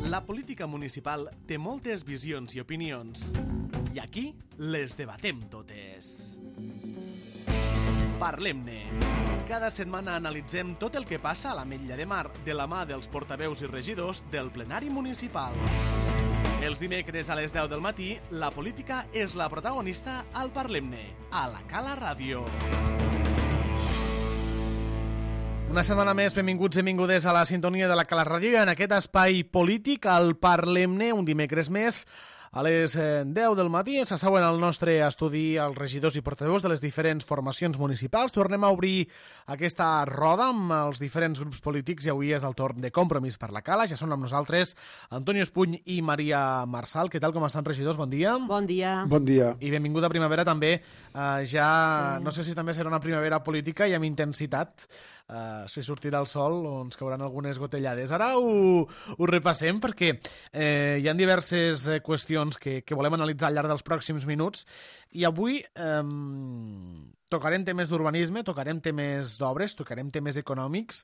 La política municipal té moltes visions i opinions, i aquí les debatem totes. Parlem-ne. Cada setmana analitzem tot el que passa a l'Ametlla de Mar de la mà dels portaveus i regidors del plenari municipal. Els dimecres a les 10 del matí, la política és la protagonista al Parlem-ne, a la Cala Ràdio. Una setmana més, benvinguts i benvingudes a la sintonia de la Cala Ràdio i en aquest espai polític, al Parlem-ne, un dimecres més, a les 10 del matí. S'asseuen al nostre estudi els regidors i portaveus de les diferents formacions municipals. Tornem a obrir aquesta roda amb els diferents grups polítics i avui és el torn de Compromís per la Cala. Ja són amb nosaltres Antonio Espuny i Maria Marsal. Què tal, com estan, regidors? Bon dia. Bon dia. Bon dia. I benvinguda primavera també. Sí. No sé si també serà una primavera política i amb intensitat. Si sortirà el sol o ens cauran algunes gotellades. Ara ho repassem perquè hi ha diverses qüestions que volem analitzar al llarg dels pròxims minuts i avui tocarem temes d'urbanisme, tocarem temes d'obres, tocarem temes econòmics,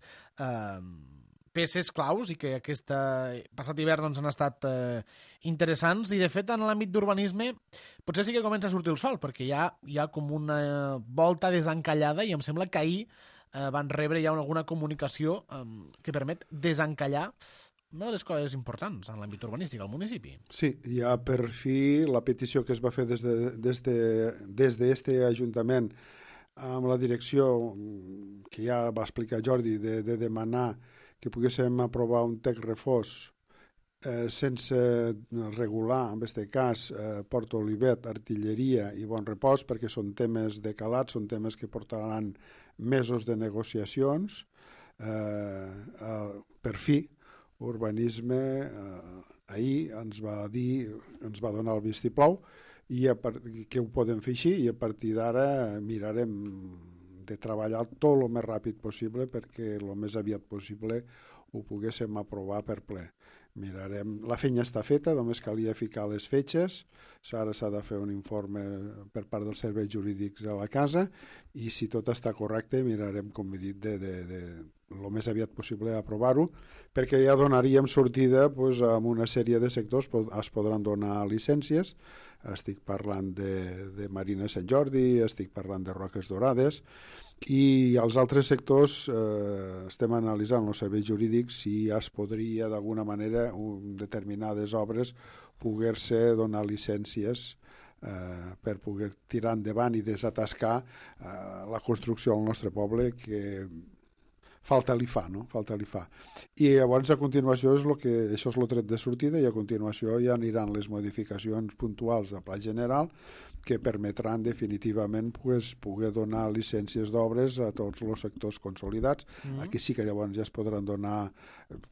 peces claus i que aquest passat hivern doncs, han estat interessants i de fet en l'àmbit d'urbanisme potser sí que comença a sortir el sol perquè hi ha com una volta desencallada i em sembla que ahir van rebre ja alguna comunicació que permet desencallar una de les coses importants en l'àmbit urbanístic al municipi. Sí, hi ha per fi la petició que es va fer des d'este Ajuntament amb la direcció que ja va explicar Jordi de demanar que poguéssim aprovar un text refós sense regular, en aquest cas, Port Olivet, Artilleria i Bon Repòs, perquè són temes de calat, són temes que portaran mesos de negociacions. Per fi, Urbanisme ahir ens va donar el vistiplau i que ho podem fer així i a partir d'ara mirarem de treballar tot el més ràpid possible perquè el més aviat possible ho poguéssim aprovar per ple. Mirarem, la feina està feta, només calia ficar les fetges, ara s'ha de fer un informe per part dels serveis jurídics de la casa i si tot està correcte mirarem, com he dit, el més aviat possible aprovar-ho, perquè ja donaríem sortida amb una sèrie de sectors, es podran donar llicències, estic parlant de Marina Sant Jordi, estic parlant de Roques Dorades, i als altres sectors estem analitzant els serveis jurídics si es podria d'alguna manera determinades obres poder-se donar llicències per poder tirar endavant i desatascar la construcció al nostre poble que falta li fa, no? Falta li fa. I llavors a continuació això és el tret de sortida i a continuació ja aniran les modificacions puntuals de pla general que permetran definitivament poder donar llicències d'obres a tots els sectors consolidats. Aquí sí que llavors ja es podran donar,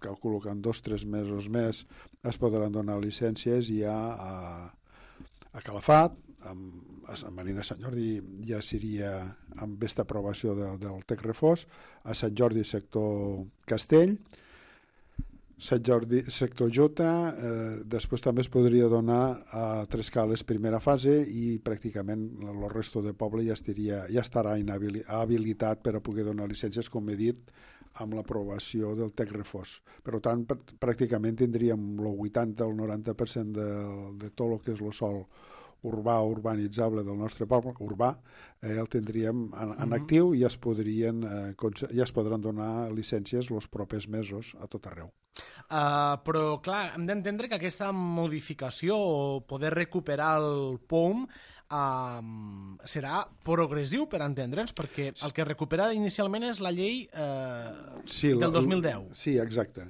calculo que en 2 o 3 mesos més es podran donar llicències ja a Calafat, a Marina Sant Jordi ja seria amb aquesta aprovació del text refós, a Sant Jordi sector Castell, Sant Jordi sector Jota, després també es podria donar a Trescales primera fase i pràcticament el resto de poble ja estarà habilitat per a poder donar llicències, com he dit, amb l'aprovació del text refós. Per tant, pràcticament tindríem el 80 o el 90% de tot el que és el sòl urbà o urbanitzable del nostre poble, urbà, el tindríem en actiu i ja es podran donar llicències els propers mesos a tot arreu. Però, clar, hem d'entendre que aquesta modificació o poder recuperar el POM serà progressiu per entendre'ns, perquè el que recupera inicialment és la llei del 2010. Sí, exacte.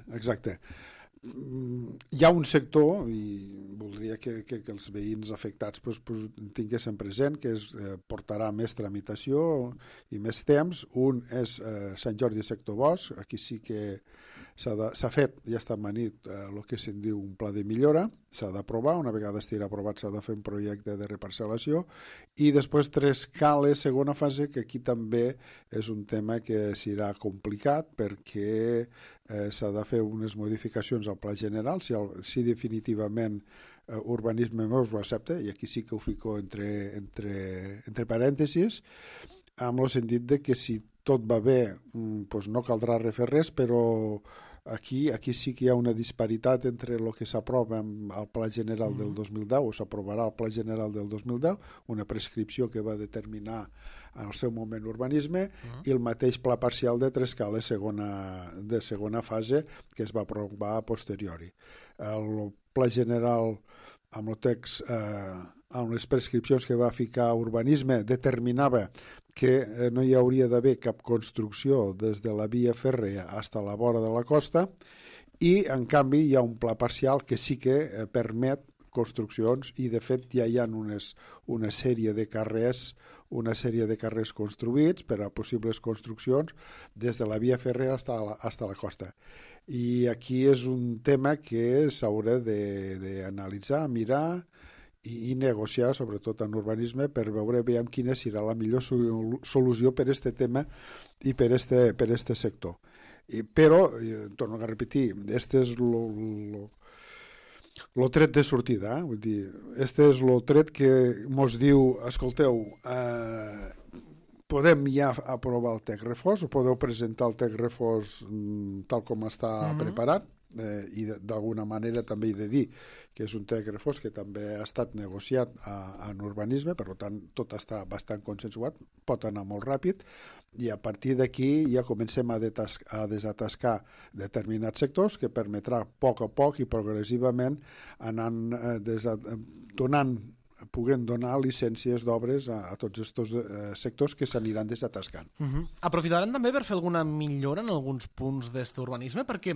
Hi ha un sector, i voldria que els veïns afectats tinguessin present, que portarà més tramitació i més temps. Un és Sant Jordi sector Bosch, aquí sí que s'ha fet, ja està manit el que se'n diu un pla de millora, s'ha d'aprovar, una vegada estigui aprovat s'ha de fer un projecte de reparcel·lació i després Trescales, segona fase, que aquí també és un tema que serà complicat perquè s'ha de fer unes modificacions al pla general, si definitivament urbanisme no ho accepta, i aquí sí que ho fico entre parèntesis, amb el sentit de que si tot va bé, doncs no caldrà refer res, però Aquí sí que hi ha una disparitat entre el que s'aprova al Pla General del 2010, o s'aprovarà al Pla General del 2010, una prescripció que va determinar en el seu moment urbanisme, i el mateix Pla Parcial de Trescales de segona fase, que es va aprovar a posteriori. El Pla General, amb el text, amb les prescripcions que va ficar urbanisme, determinava que no hi hauria d'haver cap construcció des de la via fèrrea fins a la vora de la costa, i en canvi hi ha un pla parcial que sí que permet construccions, i de fet ja hi ha una sèrie de carrers construïts per a possibles construccions des de la via fèrrea fins a la costa. I aquí és un tema que s'haurà d'analitzar, mirar i negociar, sobretot en urbanisme, per veure quina serà la millor solució per a aquest tema i per a aquest sector. Però, torno a repetir, este és el tret de sortida, vull dir, este és el tret que mos diu, escolteu, podem ja aprovar el text refós, o podeu presentar el text refós tal com està preparat, i d'alguna manera també he de dir que és un text refós que també ha estat negociat en urbanisme, per tant tot està bastant consensuat, pot anar molt ràpid, i a partir d'aquí ja comencem a desatascar determinats sectors, que permetrà a poc i progressivament anant puguen donar llicències d'obres a tots aquests sectors que s'aniran desatascant. Aprofitaran també per fer alguna millora en alguns punts d'aquest urbanisme, perquè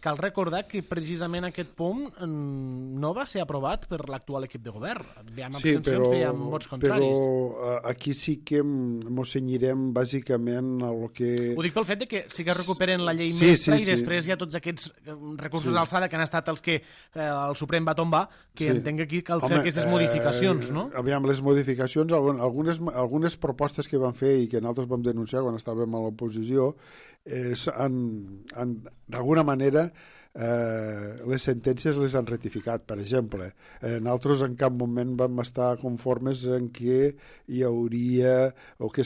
cal recordar que precisament aquest punt no va ser aprovat per l'actual equip de govern. Veiem abstencions, veiem vots contraris. Però aquí sí que ens cenyirem bàsicament a lo que... Ho dic pel fet que sí que recuperen la llei mestra, i després hi ha tots aquests recursos d'alçada que han estat els que el Suprem va tombar, que entenc que aquí cal fer aquestes modificacions, no? Aviam, les modificacions, algunes propostes que van fer i que nosaltres vam denunciar quan estàvem a l'oposició, d'alguna manera les sentències les han ratificat. Per exemple, nosaltres en cap moment vam estar conformes en què hi hauria, o que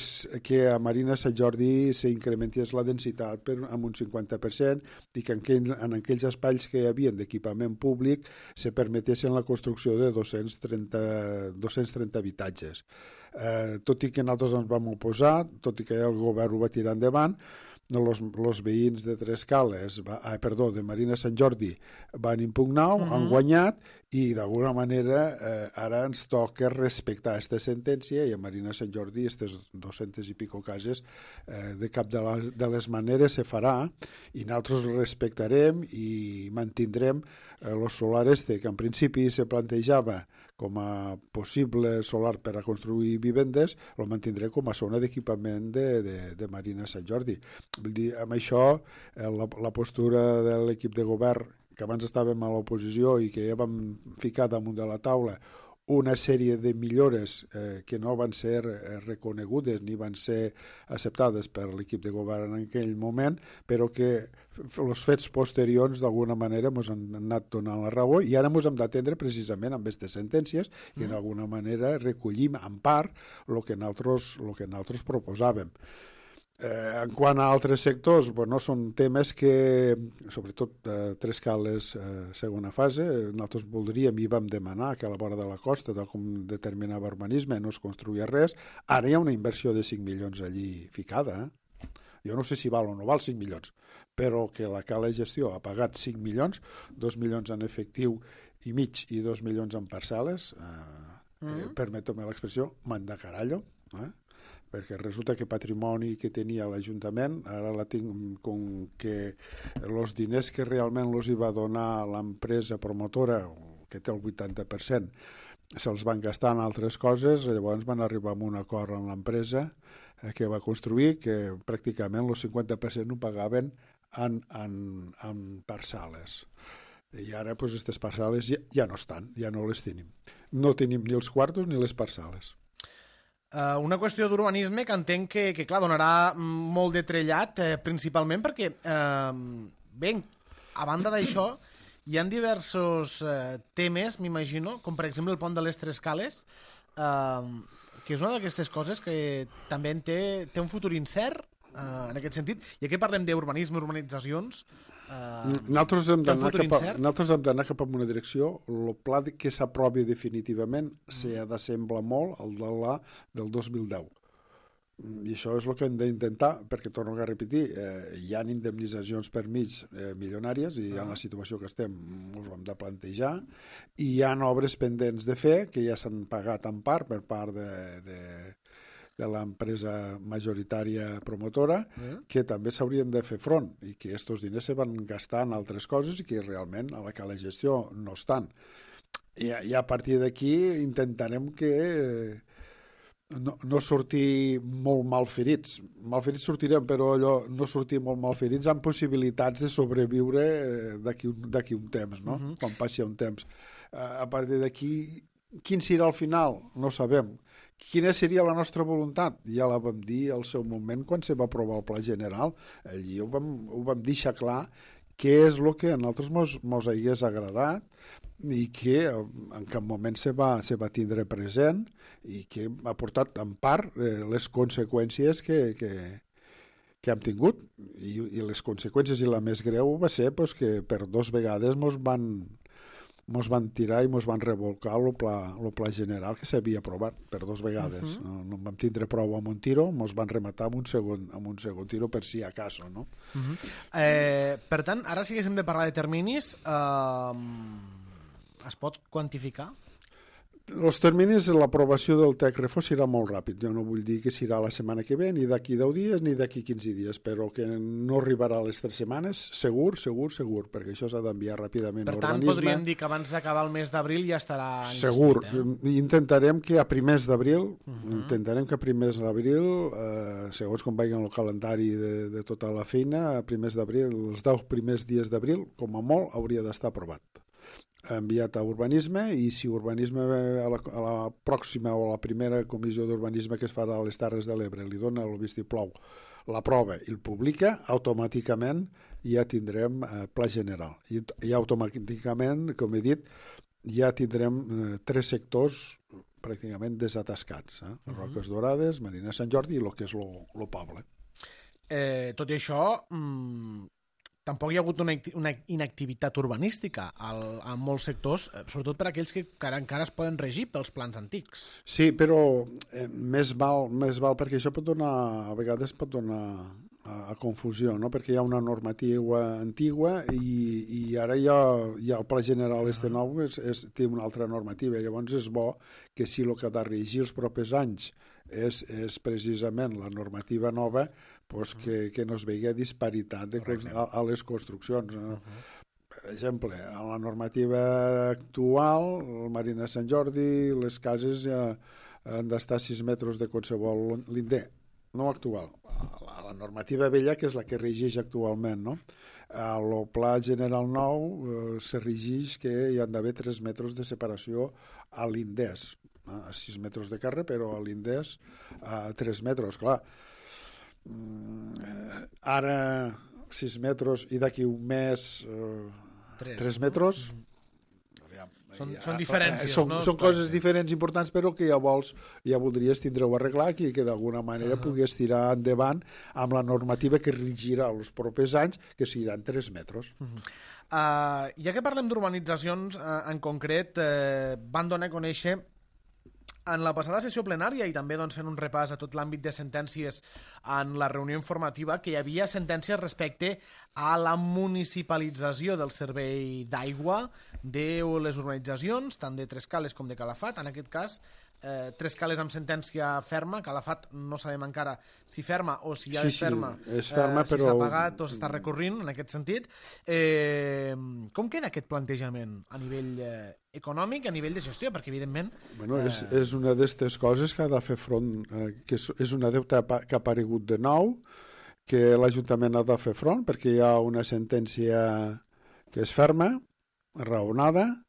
a Marina Sant Jordi s'incrementés la densitat amb un 50%, i que en aquells espais que hi havia d'equipament públic se permetessin la construcció de 230 habitatges. Tot i que nosaltres ens vam oposar, tot i que el govern ho va tirar endavant, els veïns de de Marina Sant Jordi van impugnar, han guanyat, i d'alguna manera ara ens toca respectar aquesta sentència, i a Marina Sant Jordi aquestes 200 i pico cases de cap de les maneres se farà, i nosaltres respectarem i mantindrem el solar que en principi se plantejava com a possible solar per a construir vivendes, el mantindrem com a zona d'equipament de Marina Sant Jordi. Vull dir, amb això, la postura de l'equip de govern, que abans estàvem a l'oposició i que ja vam ficar damunt de la taula una sèrie de millores que no van ser reconegudes ni van ser acceptades per l'equip de govern en aquell moment, però que els fets posteriors d'alguna manera ens han anat donant la raó, i ara ens hem d'atendre precisament amb aquestes sentències que d'alguna manera recollim en part el que nosaltres proposàvem. En quant a altres sectors, són temes que, sobretot Trescales segona fase, nosaltres voldríem i vam demanar que a la vora de la costa, tal com determinava urbanisme, no es construïa res. Ara hi ha una inversió de 5 milions allí ficada. Jo no sé si val o no val 5 milions, però que la Cala de Gestió ha pagat 5 milions, 2 milions en efectiu i mig i 2 milions en parcel·les, permeto-me l'expressió, manda carallo, perquè resulta que patrimoni que tenia l'Ajuntament, ara la tinc com que els diners que realment els hi va donar l'empresa promotora, que té el 80%, se'ls van gastar en altres coses. Llavors van arribar a un acord amb l'empresa que va construir, que pràcticament el 50% ho pagaven en parcel·les. I ara aquestes parcel·les ja no estan, ja no les tenim. No tenim ni els quartos ni les parcel·les. Una qüestió d'urbanisme que entenc que clar, donarà molt de trellat, principalment perquè, bé, a banda d'això, hi ha diversos temes, m'imagino, com per exemple el pont de les Trescales, que és una d'aquestes coses que també té un futur incert. en aquest sentit. I aquí parlem d'urbanisme, urbanitzacions. Nosaltres hem d'anar cap a una direcció. El pla que s'aprovi definitivament s'ha d'assemblar molt al del 2010. I això és el que hem d'intentar, perquè torno a repetir, hi ha indemnitzacions per mig milionàries i en la situació que estem ens ho hem de plantejar, i hi ha obres pendents de fer que ja s'han pagat en part per part de l'empresa majoritària promotora, que també s'haurien de fer front i que aquests diners se van gastar en altres coses i que realment a la gestió no estan. I a partir d'aquí intentarem que no sortir molt malferits. Malferits sortirem, però allò no sortir molt malferits amb possibilitats de sobreviure d'aquí un temps, no? Quan passi un temps. A partir d'aquí, quin serà el final? No sabem. Quina seria la nostra voluntat? Ja la vam dir al seu moment quan se va aprovar el Pla General. Allí ho vam deixar clar què és el que a nosaltres mos hagués agradat i que en cap moment se va tindre present i que ha portat en part les conseqüències que hem tingut. I les conseqüències, i la més greu, va ser que per 2 vegades mos van tirar i mos van revolcar el pla general que s'havia aprovat per 2 vegades. No vam tindre prou amb un tiro, mos van rematar amb un segon tiro per si acaso, no? Per tant, ara si haguéssim de parlar de terminis, es pot quantificar? Els terminis de l'aprovació del TEC Refós serà molt ràpid. Jo no vull dir que serà la setmana que ve, ni d'aquí 10 dies, ni d'aquí 15 dies, però que no arribarà a les 3 setmanes, segur, perquè això s'ha d'enviar ràpidament a urbanisme. Per tant, podríem dir que abans d'acabar el mes d'abril ja estarà enllestit. Segur. Intentarem que a primers d'abril, segons com vagi el calendari de tota la feina, a primers d'abril, els 10 primers dies d'abril, com a molt, hauria d'estar aprovat. Enviat a urbanisme, i si urbanisme a la pròxima o a la primera comissió d'urbanisme que es farà a les Terres de l'Ebre li dona el vistiplau, l'aprova i el publica, automàticament ja tindrem pla general. I automàticament, com he dit, ja tindrem 3 sectors pràcticament desatascats. Roques Dorades, Marina Sant Jordi i el que és el poble. Tot i això, tampoc hi ha hagut una inactivitat urbanística en molts sectors, sobretot per aquells que encara es poden regir pels plans antics. Sí, però més val perquè això a vegades pot donar a confusió, no? Perquè hi ha una normativa antigua i ara ja el Pla General nou té una altra normativa. Llavors és bo que si el que ha de regir els propers anys és precisament la normativa nova, que no es vegi disparitat a les construccions. Per exemple, a la normativa actual, el Marina Sant Jordi, les cases han d'estar a 6 metres de qualsevol linder. No actual, la normativa vella, que és la que regeix actualment, no? El Pla General nou se regeix que hi han d'haver 3 metres de separació a l'inders, a 6 metres de carrer, però a l'inders a 3 metres, clar. Ara 6 metres i d'aquí un mes 3 metres. Són diferències, no? Són coses diferents importants, però que ja voldries tindre-ho arreglat i que d'alguna manera pogués tirar endavant amb la normativa que regirà els propers anys, que seran 3 metres. Ja que parlem d'urbanitzacions, en concret, van donar a conèixer en la passada sessió plenària i també fent un repàs a tot l'àmbit de sentències en la reunió informativa, que hi havia sentències respecte a la municipalització del servei d'aigua de les urbanitzacions, tant de Trescales com de Calafat. En aquest cas, Trescales amb sentència ferma, Calafat no sabem encara si ferma o si ja és ferma, si s'ha pagat o s'està recorrint en aquest sentit. Com queda aquest plantejament a nivell econòmic, a nivell de gestió? Perquè evidentment... És una d'aquestes coses que ha de fer front, que és una deuta que ha aparegut de nou, que l'Ajuntament ha de fer front, perquè hi ha una sentència que és ferma, raonada,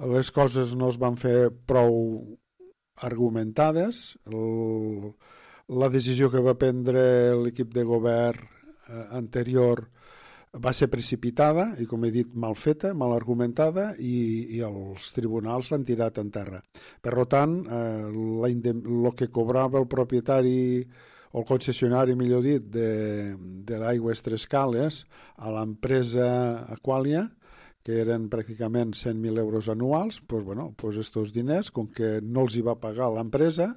les coses no es van fer prou argumentades, la decisió que va prendre l'equip de govern anterior va ser precipitada i, com he dit, mal feta, mal argumentada, i els tribunals l'han tirat en terra. Per tant, el que cobrava el propietari o el concessionari, millor dit, de l'Aigües Tres Cales a l'empresa Aqualia, que eren pràcticament 100.000 euros anuals, doncs estos diners, com que no els hi va pagar l'empresa,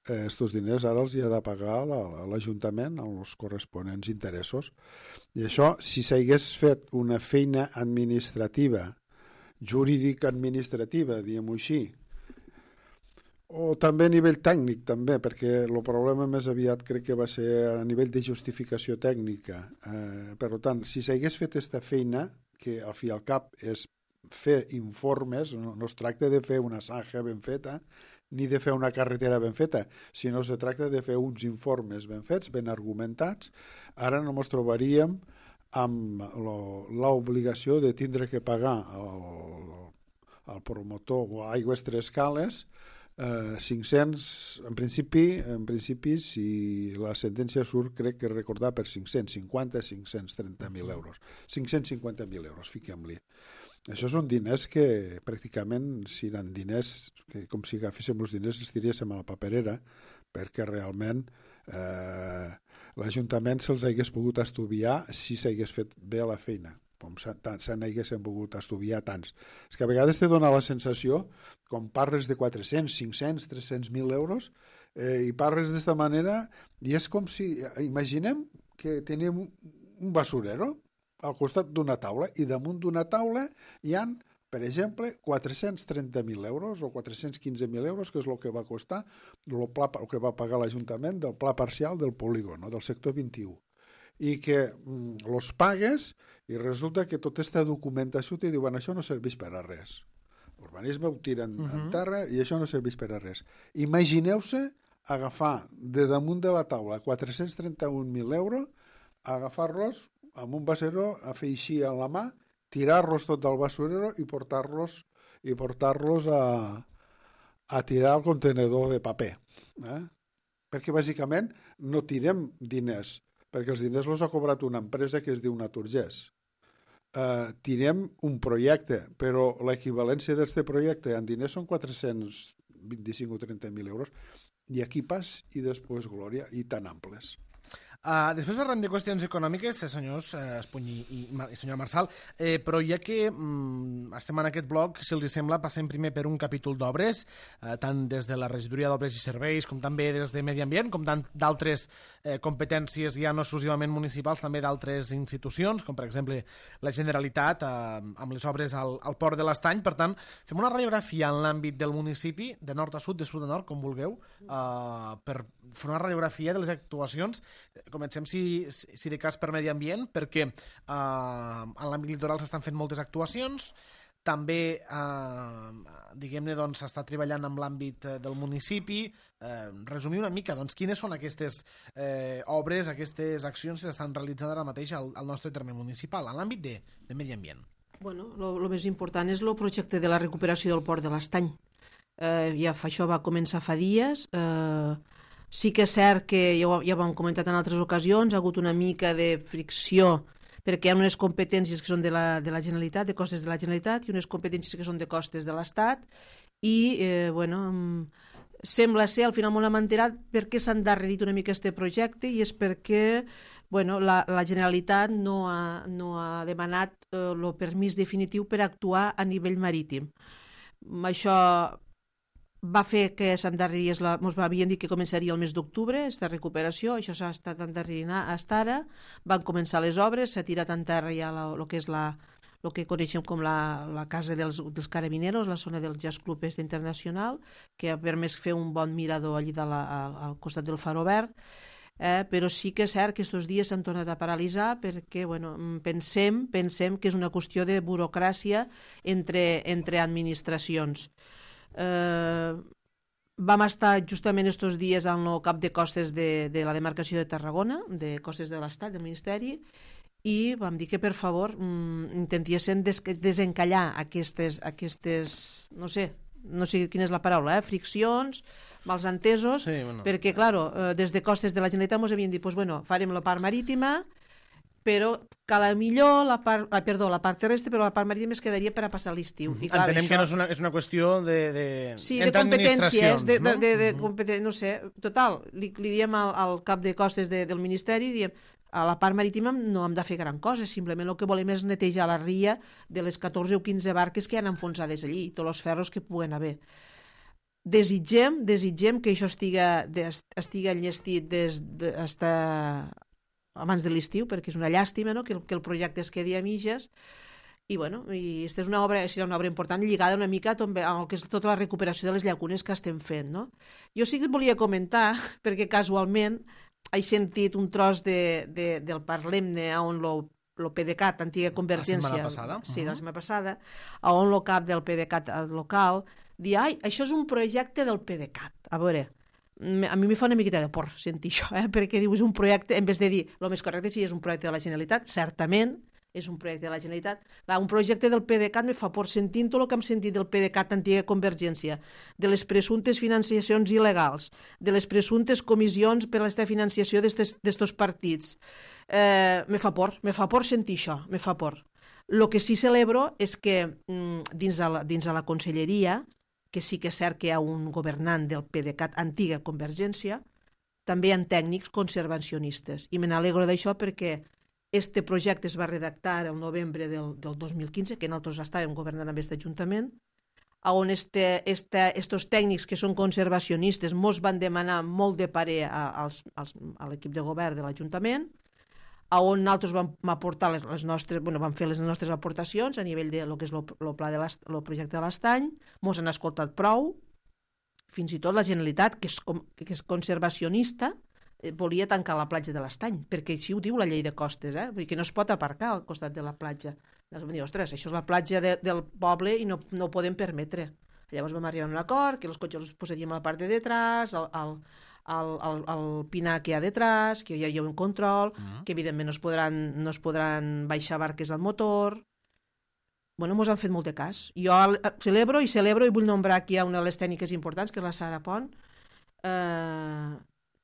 estos diners ara els hi ha de pagar l'Ajuntament amb els corresponents interessos. I això, si s'hagués fet una feina administrativa, jurídica-administrativa, diguem-ho així, o també a nivell tècnic, també, perquè el problema més aviat crec que va ser a nivell de justificació tècnica. Per tant, si s'hagués fet aquesta feina, que al fi i al cap és fer informes, no es tracta de fer una zanja ben feta, ni de fer una carretera ben feta, sinó se tracta de fer uns informes ben fets, ben argumentats. Ara no ens trobaríem amb l'obligació de tindre que pagar al promotor o a Aigües Tres Cales 500, en principi, si la sentència surt, crec que recordar per 530.000 euros. 550.000 euros, fiquem-li. Això són diners que pràcticament seran diners que com si agaféssim els diners els tiríssim a la paperera, perquè realment l'Ajuntament se'ls hagués pogut estudiar si s'hagués fet bé la feina, com se n'haguessin pogut estudiar tants. És que a vegades te dona la sensació, com parles de 400, 500, 300.000 euros, i parles d'esta manera, i és com si, imaginem que tenim un basurero al costat d'una taula, i damunt d'una taula hi han, per exemple, 430.000 euros o 415.000 euros, que és el que va costar el que va pagar l'Ajuntament del pla parcial del polígon, del sector 21. I que els pagues i resulta que tota aquesta documentació te diuen això no serveix per a res. L'urbanisme ho tiren en terra i això no serveix per a res. Imagineu-se agafar de damunt de la taula 431.000 euros, agafar-los amb un basurero, a fer així a la mà, tirar-los tot del basurero i portar-los a tirar al contenedor de paper. Perquè bàsicament no tirem diners, perquè els diners els ha cobrat una empresa que es diu Naturgés. Tirem un projecte, però l'equivalència d'aquest projecte en diners són 425 o 30.000 euros, i aquí pas i després glòria, i tan amples. Després parlem de qüestions econòmiques, senyors Espuny i senyora Marçal, però ja que estem en aquest bloc, si els sembla, passem primer per un capítol d'obres, tant des de la Regidoria d'Obres i Serveis com també des de Medi Ambient, com d'altres competències ja no exclusivament municipals, també d'altres institucions, com per exemple la Generalitat, amb les obres al Port de l'Estany. Per tant, fem una radiografia en l'àmbit del municipi, de nord a sud, de sud a nord, com vulgueu, per fer una radiografia de les actuacions. Comencem, si de cas, per Medi Ambient, perquè en l'àmbit litoral s'estan fent moltes actuacions. També, diguem-ne, s'està treballant amb l'àmbit del municipi. Resumir una mica, quines són aquestes obres, aquestes accions que s'estan realitzant ara mateix al nostre terme municipal, en l'àmbit de Medi Ambient. Bueno, el més important és el projecte de la recuperació del Port de l'Estany. Això va començar fa dies. Sí que és cert que, ja ho hem comentat en altres ocasions, ha hagut una mica de fricció perquè hi ha unes competències que són de la Generalitat, de costes de la Generalitat, i unes competències que són de costes de l'Estat, i, sembla ser, al final m'ho hem enterat, per què s'ha endarrerit una mica aquest projecte, i és perquè la Generalitat no ha demanat el permís definitiu per actuar a nivell marítim. Això va fer que s'endarrerís, ens havien dit que començaria el mes d'octubre, aquesta recuperació, això s'ha estat endarrerint fins ara, van començar les obres, s'ha tirat en terra ja el que és el que coneixem com la casa dels carabineros, la zona del Jazz Club Internacional, que ha permès fer un bon mirador allí al costat del Faro Verd, però sí que és cert que aquests dies s'han tornat a paralitzar perquè pensem que és una qüestió de burocràcia entre administracions. Vam estar justament aquests dies en el cap de costes de la demarcació de Tarragona, de costes de l'Estat, del Ministeri, i vam dir que per favor intentiessin desencallar aquestes no sé quina és la paraula, friccions, malsentesos, perquè, clar, des de costes de la Generalitat ens havien dit, farem la part marítima, però que a la millor la part terrestre, però la part marítima es quedaria per a passar l'estiu. Entenem que no és una qüestió de sí, de entre competències, administracions, no sé, total, li diem al cap de costes del Ministeri, diem, a la part marítima no hem de fer gran cosa, simplement el que volem és netejar la ria de les 14 o 15 barques que han enfonsades allí, tots els ferros que puguen haver. Desitgem que això estigui enllestit abans de l'estiu, perquè és una llàstima, no? que el projecte es quedi a mitges, i aquesta és una obra, serà una obra important lligada una mica amb el que és tota la recuperació de les llacunes que estem fent. No? Jo sí que et volia comentar, perquè casualment he sentit un tros del Parlem-ne on lo PDeCAT, antiga Convergència, la setmana passada. Sí, la setmana passada, on el cap del PDeCAT local dir, això és un projecte del PDeCAT. A veure, a mi fa una miqueta de por sentir això, perquè dius un projecte, en vez de dir, el més correcte sí és un projecte de la Generalitat, certament és un projecte de la Generalitat. Un projecte del PDeCAT me fa por, sentint tot el que hem sentit del PDeCAT antiga Convergència, de les presumptes financiacions il·legals, de les presumptes comissions per a la financiació d'estos partits. Me fa por sentir això, me fa por. El que sí celebro és que dins de la conselleria, que sí que és cert que hi ha un governant del PDeCAT antiga Convergència, també hi ha tècnics conservacionistes. I me n'alegro d'això perquè este projecte es va redactar el novembre del 2015, que nosaltres estàvem governant amb aquest ajuntament, on estos tècnics que són conservacionistes mos van demanar molt de parer a l'equip de govern de l'Ajuntament, on nosaltres vam aportar vam fer les nostres aportacions a nivell de lo que és el projecte de l'Estany, mos han escoltat prou, fins i tot la Generalitat, que és conservacionista, volia tancar la platja de l'Estany, perquè així ho diu la llei de costes, vull dir que no es pot aparcar al costat de la platja. Vam dir, ostres, això és la platja del poble i no ho podem permetre. Llavors vam arribar a un acord, que els cotxes els posaríem a la part de detrás, al pinar que hi ha detrás, que hi ha un control, que evidentment no es podran baixar barques al motor. Mos han fet molt de cas. Jo celebro i vull nombrar aquí una de les tècniques importants, que és la Sara Pont,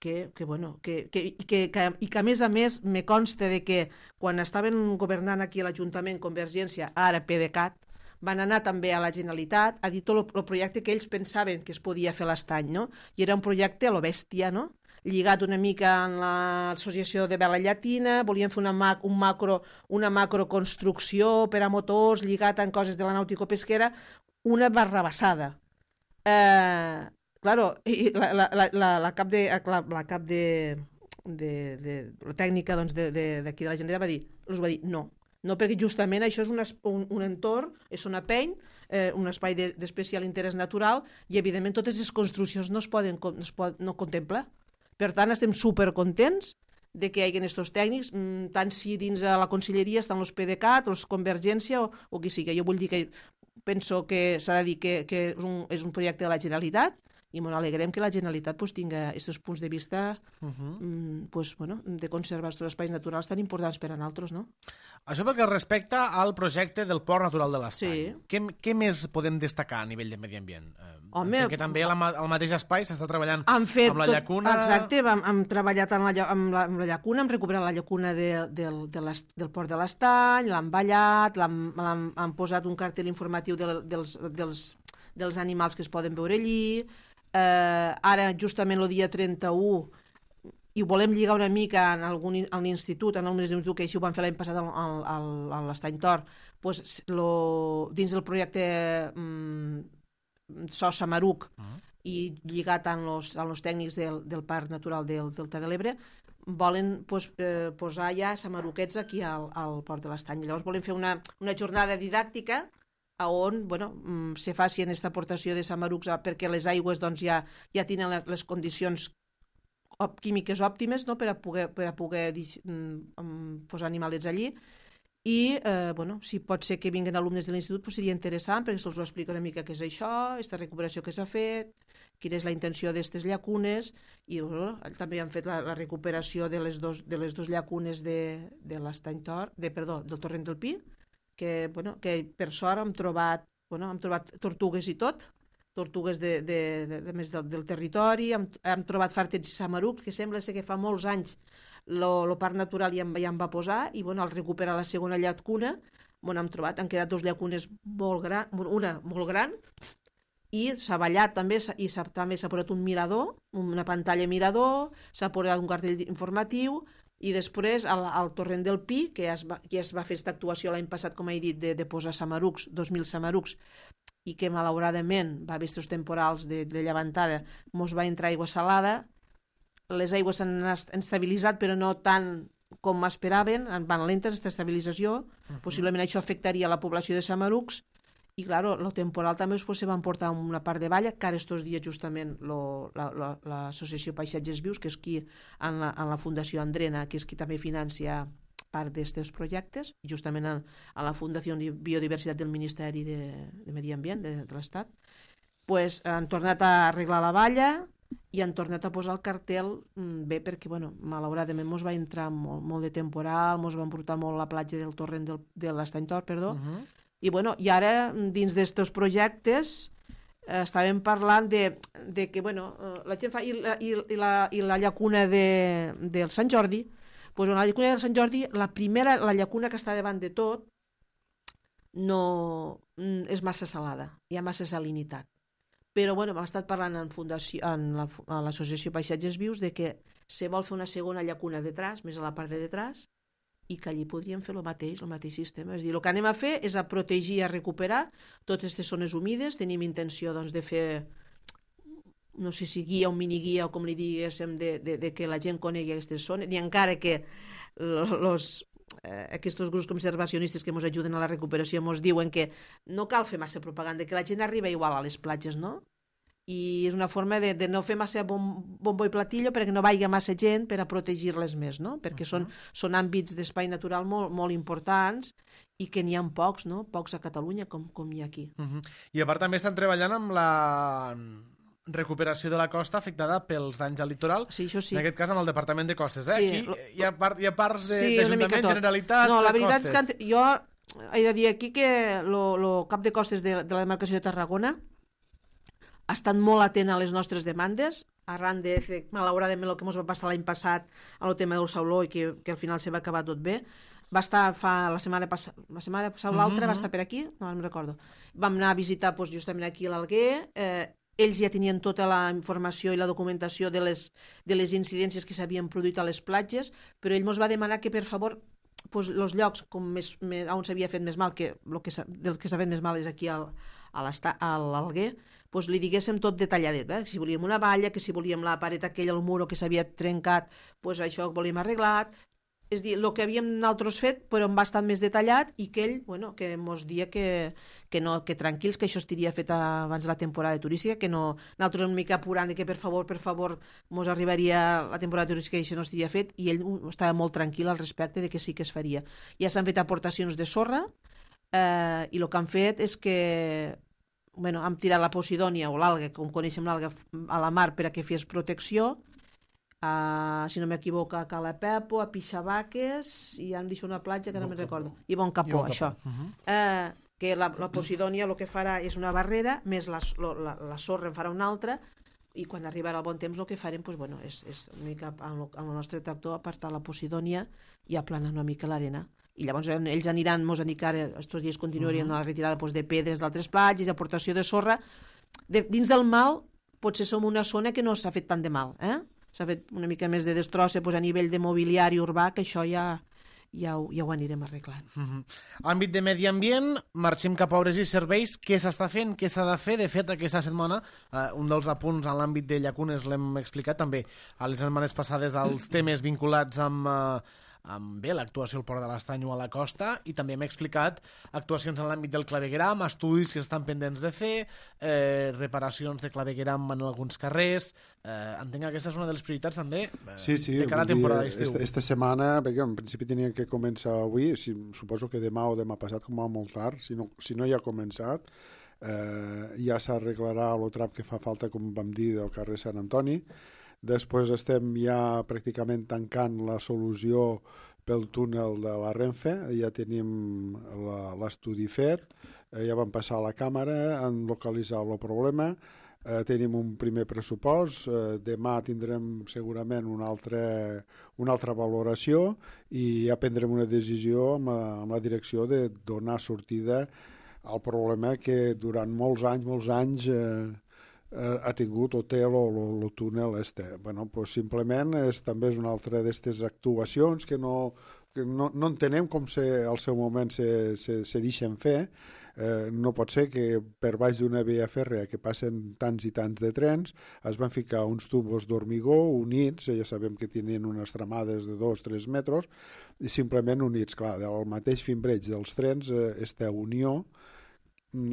i que a més me consta de que quan estaven governant aquí a l'Ajuntament Convergència, ara PDeCAT, van anar també a la Generalitat a dir tot el projecte que ells pensaven que es podia fer a l'Estany, no? I era un projecte a lo bèstia, no? Lligat una mica amb l'associació de vela llatina, volien fer una macroconstrucció per a motors, lligat amb coses de la nàutico-pesquera, una barrabassada. Claro, la cap de la tècnica d'aquí de la Generalitat va dir no, perquè justament això és un entorn, és una peny, un espai d'especial interès natural, i evidentment totes les construccions no contempla. Per tant, estem supercontents de que hi hagi aquests tècnics, tant si dins de la conselleria estan els PDeCAT, els Convergència o qui sigui. Jo vull dir que penso que s'ha de dir que és un projecte de la Generalitat, i ens alegrem que la Generalitat tingui aquests punts de vista de conservar els espais naturals tan importants per a nosaltres, no? Això pel que respecta al projecte del Port Natural de l'Estany. Sí. Què més podem destacar a nivell de medi ambient? Perquè també al mateix espai s'està treballant amb la llacuna... Exacte, hem treballat amb la llacuna, hem recuperat la llacuna del Port de l'Estany, l'hem ballat, hem posat un cartell informatiu dels animals que es poden veure allí. Ara, justament el dia 31, i ho volem lligar una mica a l'institut, en alumnes d'institut, que així ho van fer l'any passat a l'Estany Tor, dins del projecte SOS Samaruc, i lligat amb els tècnics del Parc Natural del Delta de l'Ebre, volen posar ja samaruquets aquí al Port de l'Estany. Llavors volem fer una jornada didàctica on se faci aquesta aportació de samarucs perquè les aigües ja tenen les condicions químiques òptimes per a poder posar animalets allí, i si pot ser que vinguin alumnes de l'institut seria interessant perquè se'ls ho explica una mica què és això, aquesta recuperació que s'ha fet, quina és la intenció d'aquestes llacunes, i també han fet la recuperació de les dos llacunes de l'Estany Tor, del Torrent del Pi, que per sort hem trobat tortugues i tot, tortugues més del territori, hem trobat fàrtets i samarucs, que sembla ser que fa molts anys el parc natural ja em va posar, i al recuperar la segona llacuna, hem trobat, han quedat 2 llacunes molt grans, una molt gran, i s'ha ballat també, i també s'ha posat un mirador, una pantalla mirador, s'ha posat un cartell informatiu, i després al torrent del Pi, que ja es va fer aquesta actuació l'any passat, com he dit, de posar samarucs, 2.000 samarucs, i que malauradament va haver estos temporals de llevantada, mos va entrar aigua salada, les aigües s'han estabilitzat, però no tant com esperaven, van lentes aquesta estabilització, possiblement això afectaria la població de samarucs, i clar, el temporal també se va emportar una part de valla, que ara estos dies justament l'associació Paisatges Vius, que és qui en la Fundació Andrena, que és qui també financia part d'aquests projectes, justament en la Fundació Biodiversitat del Ministeri de Medi Ambient de l'Estat, han tornat a arreglar la valla i han tornat a posar el cartel bé, perquè malauradament mos va entrar molt de temporal, mos va emportar molt la platja del torrent de l'Estany Tor, i ara dins d'estos projectes estàvem parlant de que la gent fa i la llacuna del Sant Jordi. La llacuna del Sant Jordi, la llacuna que està davant de tot, no és massa salada, hi ha massa salinitat. Però hem estat parlant a l'associació Paisatges Vius de que se vol fer una segona llacuna detrás, més a la part de detrás, i que allí podríem fer el mateix sistema. És a dir, el que anem a fer és a protegir i a recuperar totes aquestes zones humides. Tenim intenció de fer, no sé si guia o miniguia o com li diguéssim, de que la gent conegui aquestes zones, i encara que aquests grups conservacionistes que ens ajuden a la recuperació ens diuen que no cal fer massa propaganda, que la gent arriba igual a les platges, no? I és una forma de no fer massa bombo i platillo perquè no vagi massa gent per a protegir-les més, no? Perquè són àmbits d'espai natural molt importants i que n'hi ha pocs, no? Pocs a Catalunya com hi ha aquí. I a part també estan treballant amb la recuperació de la costa afectada pels danys al litoral, sí, això sí. En aquest cas amb el Departament de Costes. Aquí hi ha parts d'Ajuntament, Generalitat, no, la veritat Costes. És que jo he de dir aquí que el cap de Costes de la demarcació de Tarragona ha estat molt atent a les nostres demandes, arran de, malauradament, el que ens va passar l'any passat amb el tema del Sauló i que al final se va acabar tot bé. Va estar la setmana passada o l'altra, va estar per aquí, no me'n recordo. Vam anar a visitar justament aquí a l'Alguer, ells ja tenien tota la informació i la documentació de les incidències que s'havien produït a les platges, però ell ens va demanar que, per favor, els llocs on s'havia fet més mal, del que s'ha fet més mal és aquí a l'Alguer, li diguéssim tot detalladet, si volíem una valla, que si volíem la paret aquella, el muro que s'havia trencat, això ho volíem arreglat. És dir, el que havíem nosaltres fet, però en bastant més detallat, i que ell, que ens dia que tranquils, que això estiria fet abans de la temporada turística, que no, nosaltres una mica apurant, que per favor, ens arribaria la temporada turística i això no estiria fet, i ell estava molt tranquil al respecte de que sí que es faria. Ja s'han fet aportacions de sorra, i el que han fet és que hem tirat la posidònia o l'alga, com coneixem l'alga, a la mar per a que fes protecció, si no m'equivoco, a Cala Pepo, a Pixabaques, i han deixat una platja que no me'n recordo, i Bon Capó, això. Que la posidònia el que farà és una barrera, més la sorra en farà una altra, i quan arribarà el bon temps el que farem és una mica amb el nostre tractor apartar la posidònia i aplanar una mica l'arena. I llavors ells aniran, ens han dit que ara aquests dies continuarien a la retirada de pedres d'altres platges, aportació de sorra. Dins del mal potser som una zona que no s'ha fet tant de mal, s'ha fet una mica més de destrossa a nivell de mobiliari urbà, que això ja ho anirem arreglant. Àmbit de medi ambient, marxem cap a obres i serveis. Què s'està fent? Què s'ha de fer? De fet, aquesta setmana, un dels apunts en l'àmbit de llacunes l'hem explicat també a les setmanes passades, els temes vinculats amb l'actuació al Port de l'Estany o a la costa, i també hem explicat actuacions en l'àmbit del clavegueram, estudis que estan pendents de fer, reparacions de clavegueram en alguns carrers. Entenc que aquesta és una de les prioritats també de cara a la temporada d'estiu. Esta setmana, perquè en principi tenia que començar avui, suposo que demà o demà passat, com a molt tard, si no ja ha començat, ja s'arreglarà el trap que fa falta, com vam dir, del carrer Sant Antoni. Després estem ja pràcticament tancant la solució pel túnel de la Renfe, ja tenim l'estudi fet, ja vam passar a la càmera, han localitzat el problema, tenim un primer pressupost, demà tindrem segurament una altra valoració i ja prendrem una decisió amb la direcció de donar sortida al problema que durant molts anys ha tingut o té el túnel este. Bueno, pues simplement també és una altra d'aquestes actuacions que no entenem com al seu moment se deixen fer. No pot ser que per baix d'una via fèrrea que passen tants i tants de trens es van ficar uns tubos d'hormigó units, ja sabem que tenien unes tramades de 2-3 metres, i simplement units. Clar, del mateix fimbreig dels trens, aquesta unió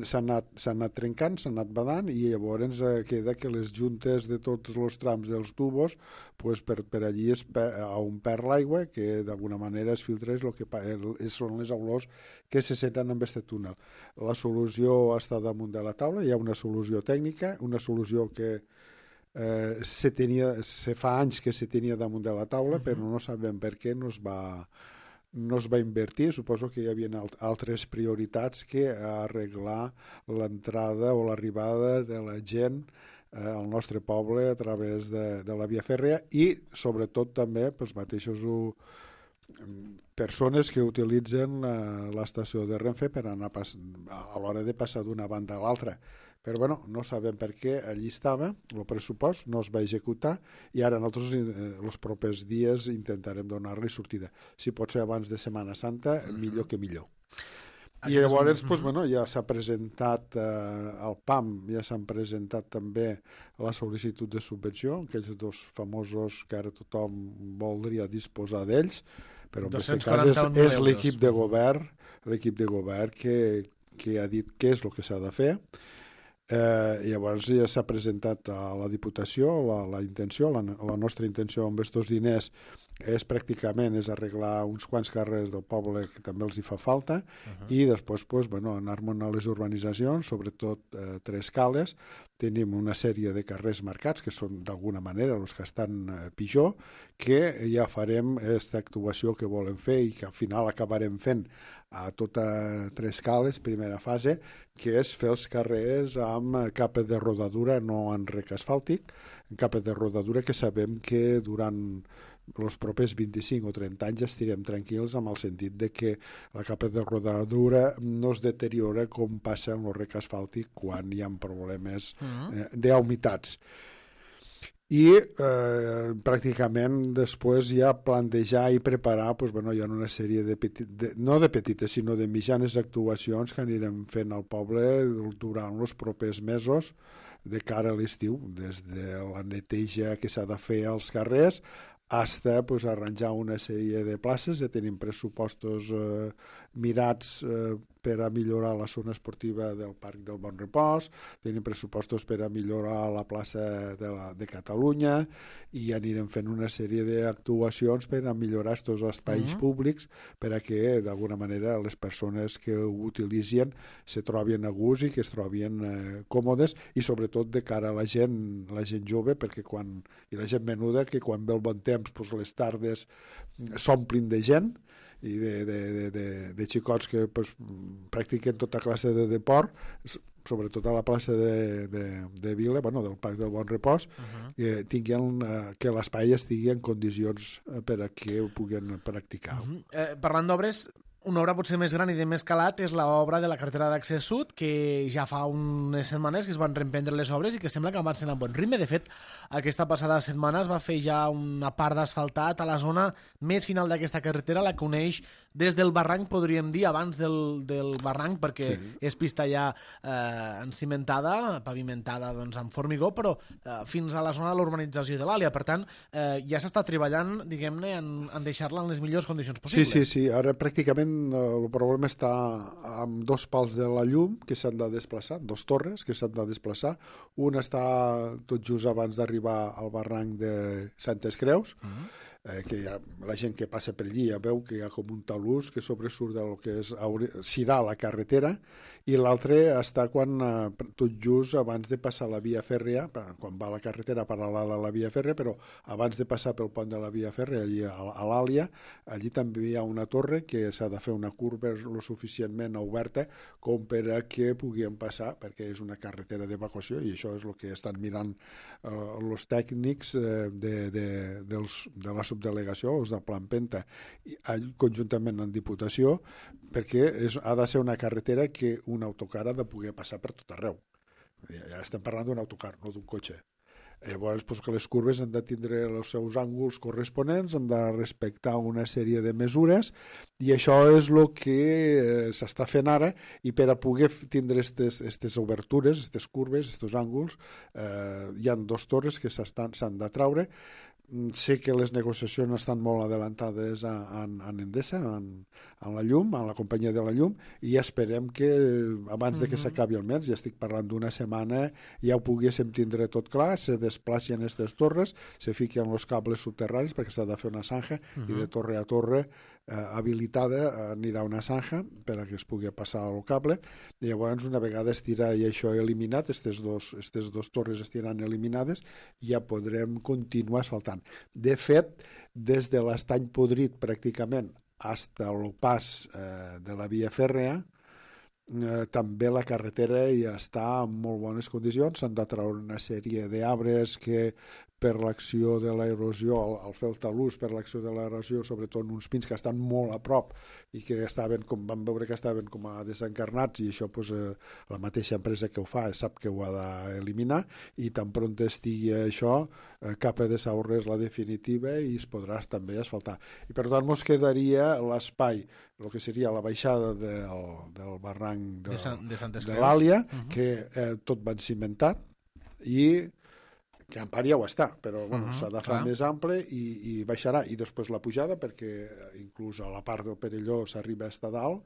s'ha anat trencant, s'ha anat badant i llavors queda que les juntes de tots els trams dels tubos pues per allí on perd l'aigua, que d'alguna manera es filtra són les olors que se senten amb aquest túnel. La solució està damunt de la taula, hi ha una solució tècnica, una solució que se fa anys que se tenia damunt de la taula, però no sabem per què no es va invertir. Suposo que hi havia altres prioritats que arreglar l'entrada o l'arribada de la gent al nostre poble a través de la via fèrrea i sobretot també els mateixos persones que utilitzen l'estació de Renfe per anar a l'hora de passar d'una banda a l'altra. Però bueno, no sabem per què allí estava, el pressupost no es va executar i ara nosaltres els propers dies intentarem donar-li sortida. Si pot ser abans de Setmana Santa, millor que millor. I llavors ja s'ha presentat al PAM, ja s'han presentat també la sol·licitud de subvenció, aquells dos famosos que ara tothom voldria disposar d'ells, però en aquest cas és l'equip de govern que ha dit què és el que s'ha de fer. Llavors ja s'ha presentat a la Diputació la intenció, la nostra intenció amb aquests diners és pràcticament arreglar uns quants carrers del poble que també els hi fa falta i després anar-me'n a les urbanitzacions, sobretot Tres Cales. Tenim una sèrie de carrers marcats que són d'alguna manera els que estan pitjor, que ja farem aquesta actuació que volem fer i que al final acabarem fent a tota Tres Cales, primera fase, que és fer els carrers amb capa de rodadura, no en rec asfàltic, en capa de rodadura que sabem que durant els propers 25 o 30 anys estirem tranquils amb el sentit de que la capa de rodadura no es deteriora com passa en el rec asfàltic quan hi ha problemes d'humitats. I pràcticament després ja plantejar i preparar hi ha una sèrie no de petites sinó de mitjanes actuacions que anirem fent al poble durant els propers mesos de cara a l'estiu, des de la neteja que s'ha de fer als carrers hasta arranjar una sèrie de places. Ja tenim pressupostos mirats per a millorar la zona esportiva del Parc del Bon Repòs, tenim pressupostos per a millorar la plaça de Catalunya i anirem fent una sèrie d'actuacions per a millorar aquests espais públics per a que d'alguna manera les persones que ho utilitzen se trobin a gust i que es trobin còmodes i sobretot de cara a la gent jove i la gent menuda que quan ve el bon temps les tardes s'omplin de gent i de xicots que practiquen tota classe de deport, sobretot a la plaça de Vila, del Parc del Bon Repòs, que l'espai estigui en condicions per a que ho puguin practicar. Parlant d'obres, una obra potser més gran i de més calat és l'obra de la carretera d'accés sud, que ja fa unes setmanes que es van reemprendre les obres i que sembla que avancen a bon ritme. De fet, aquesta passada setmana es va fer ja una part d'asfaltat a la zona més final d'aquesta carretera, la que uneix des del barranc, podríem dir, abans del barranc, perquè és pista ja encimentada, pavimentada amb formigó, però fins a la zona de l'urbanització de l'Àlia. Per tant, ja s'està treballant, diguem-ne, en deixar-la en les millors condicions possibles. Sí. Ara pràcticament el problema està amb dos pals de la llum que s'han de desplaçar, dos torres que s'han de desplaçar. Una està tot just abans d'arribar al barranc de Santes Creus, que la gent que passa per allí ja veu que hi ha com un talús que sobresurt del que serà la carretera, i l'altre està tot just abans de passar la via fèrrea, quan va la carretera paral·lela a la via fèrrea, però abans de passar pel pont de la via fèrrea, allí a l'Àlia, allí també hi ha una torre que s'ha de fer una curva lo suficientment oberta com per a que puguem passar, perquè és una carretera d'evacuació, i això és el que estan mirant els tècnics de la subdelegació, els de Plampenta, conjuntament amb Diputació, perquè ha de ser una carretera que un autocar ha de poder passar per tot arreu. Ja estem parlant d'un autocar, no d'un cotxe. Llavors, que les curves han de tindre els seus ànguls corresponents, han de respectar una sèrie de mesures, i això és el que s'està fent ara, i per a poder tindre aquestes obertures, aquestes curves, aquests ànguls, hi ha 2 torres que s'han de traure. Sé que les negociacions estan molt adelantades en Endesa, en la llum, en la companyia de la llum, i esperem que abans de que s'acabi el mes, ja estic parlant d'una setmana, ja ho poguéssim tindre tot clar, se desplacen aquestes torres, se fiquen els cables subterranis perquè s'ha de fer una zanja, i de torre a torre habilitada anirà una zanja per a que es pugui passar el cable, i llavors una vegada estirà i això eliminat, aquestes dos torres estiran eliminades, ja podrem continuar asfaltant. De fet, des de l'Estany Podrit pràcticament fins al pas de la via fèrrea, també la carretera ja està en molt bones condicions. S'han de treure una sèrie d'arbres que per l'acció de l'erosió, al fer el talús, per l'acció de l'erosió, sobretot uns pins que estan molt a prop i que vam veure que estaven com a desencarnats, i això la mateixa empresa que ho fa sap que ho ha d'eliminar, i tan pront estigui això, capa de saurres la definitiva, i es podrà també asfaltar. I per tant ens quedaria l'espai, el que seria la baixada del barranc de l'Àlia, que tot va cimentat, i que en part ja ho està, però s'ha de fer més ample i baixarà. I després la pujada, perquè inclús a la part del Perelló s'arriba a estar dalt,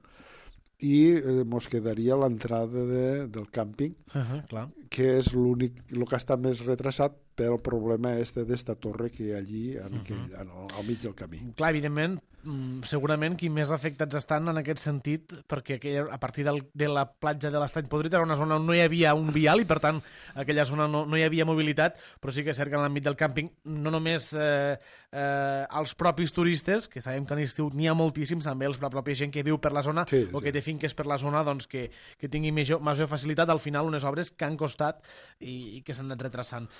i ens quedaria l'entrada del càmping, que és l'únic, el que està més retrasat pel problema d'esta torre que hi ha allí al mig del camí. Clar, evidentment, segurament qui més afectats estan en aquest sentit, perquè a partir de la platja de l'Estany Podrit era una zona on no hi havia un vial, i per tant aquella zona no hi havia mobilitat, però sí que és cert que en l'àmbit del càmping no només els propis turistes, que sabem que a l'estiu n'hi ha moltíssims, també la pròpia gent que viu per la zona o que té finques per la zona, doncs que tingui major facilitat. Al final, unes obres que han costat i que s'han anat retrasant.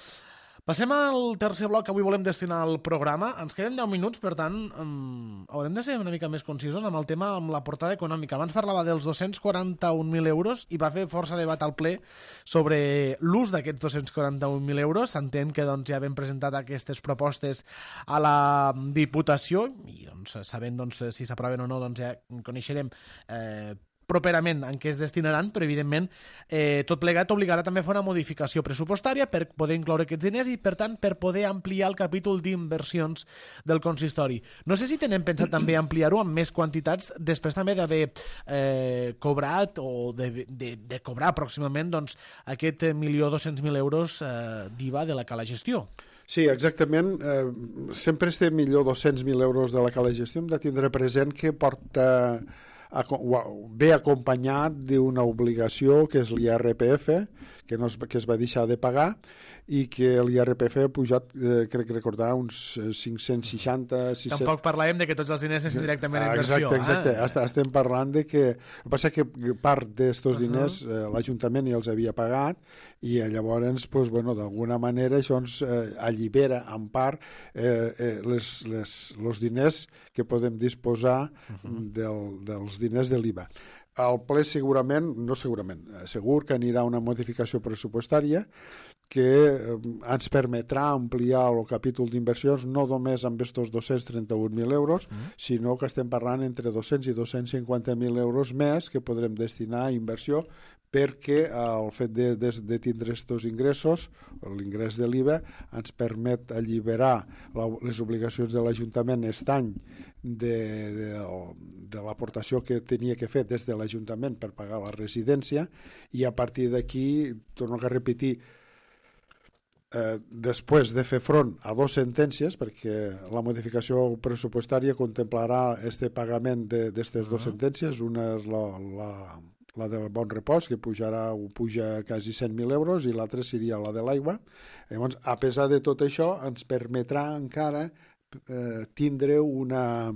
Passem al tercer bloc que avui volem destinar al programa. Ens queden 10 minuts, per tant, haurem de ser una mica més concisos amb el tema, amb la portada econòmica. Abans parlava dels 241.000 euros i va fer força debat al ple sobre l'ús d'aquests 241.000 euros. S'entén que ja hem presentat aquestes propostes a la Diputació i sabent si s'aproven o no ja coneixerem properament en què es destinaran, però evidentment tot plegat obligarà també a fer una modificació pressupostària per poder incloure aquests diners i, per tant, per poder ampliar el capítol d'inversions del consistori. No sé si tenen pensat també ampliar-ho amb més quantitats després també d'haver cobrat o de cobrar pròximament aquest 1.200.000 euros d'IVA de la cala gestió. Sí, exactament. Sempre este 1.200.000 euros de la cala gestió hem de tindre present que ve acompanyat d'una obligació que és l'IRPF, que es va deixar de pagar, i que l'IRPF ha pujat, crec recordar, uns 560... Tampoc parlàvem de que tots els diners essin directament en inversió. Exacte. Estem parlant de que... El que passa que part d'aquests diners l'Ajuntament ja els havia pagat, i llavors, d'alguna manera, això ens allibera en part els diners que podem disposar dels diners de l'IVA. El ple segur que anirà una modificació pressupostària que ens permetrà ampliar el capítol d'inversions no només amb aquests 231.000 euros, sinó que estem parlant entre 200 i 250.000 euros més que podrem destinar a inversió, perquè el fet de tindre aquests ingressos, l'ingrés de l'IVA, ens permet alliberar les obligacions de l'Ajuntament aquest any de l'aportació que tenia que fer des de l'Ajuntament per pagar la residència, i a partir d'aquí, torno a repetir, després de fer front a 2 sentències, perquè la modificació pressupostària contemplarà este pagament d'aquestes 2 sentències. Una és la del Bon Repòs, que puja quasi 100.000 euros, i l'altra seria la de l'aigua. Llavors, a pesar de tot això, ens permetrà encara tindre una